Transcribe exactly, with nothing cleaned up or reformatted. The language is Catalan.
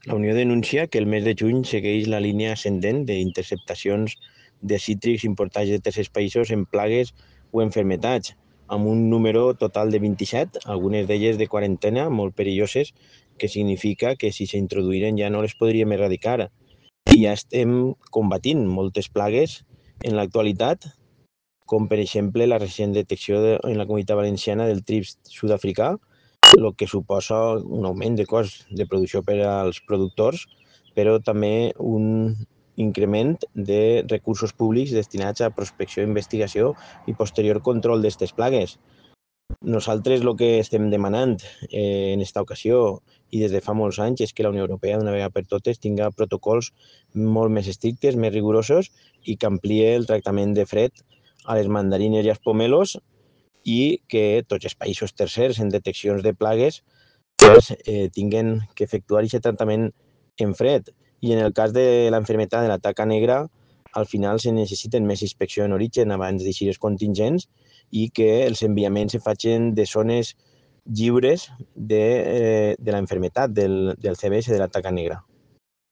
La Unió denuncia que el mes de juny segueix la línia ascendent d'interceptacions de cítrics importats de tercers països en plagues o enfermetats, amb un número total de vint-i-set, algunes d'elles de quarantena, molt perilloses, que significa que si s'introduïren ja no les podríem erradicar. I ja estem combatint moltes plagues en l'actualitat, com per exemple la recent detecció de, en la Comunitat Valenciana del trips sud-africà, el que suposa un augment de cost de producció per als productors, però també un increment de recursos públics destinats a prospecció, investigació i posterior control d'aquestes plagues. Nosaltres el que estem demanant eh, en aquesta ocasió i des de fa molts anys és que la Unió Europea d'una vegada per totes tinga protocols molt més estrictes, més rigorosos i que ampliï el tractament de fred a les mandarines i als pomelos i que tots els països tercers en deteccions de plagues pues, eh, tinguen que efectuar aquest tractament en fred. I en el cas de la enfermedad de la taca negra, al final se necessiten més inspecció en origen abans d'eixir els contingents i que els enviaments se facin de zones lliures de, eh, de la enfermedad del, del C B S de la taca negra.